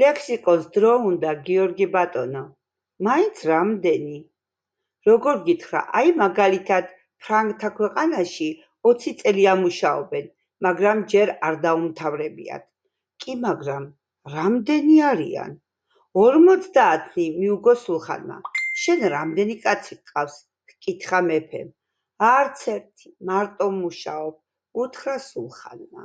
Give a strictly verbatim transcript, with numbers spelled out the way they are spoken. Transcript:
ლექსიკონს დრო უნდა, გიორგი ბატონო. მაინც რამდენი? როგორ გითხრა, აი მაგალითად ფრანგთა ქვეყანაში ოცი წელი ამუშაობენ, მაგრამ ჯერ არ დაუმთავრებიათ. კი, მაგრამ რამდენი არიან? ორმოცდაათი, მიუგო სულხანმა. შენ რამდენი კაცი გყავს? ჰკითხა მეფემ. არც ერთი, მარტო მუშაობ, უთხრა სულხანმა.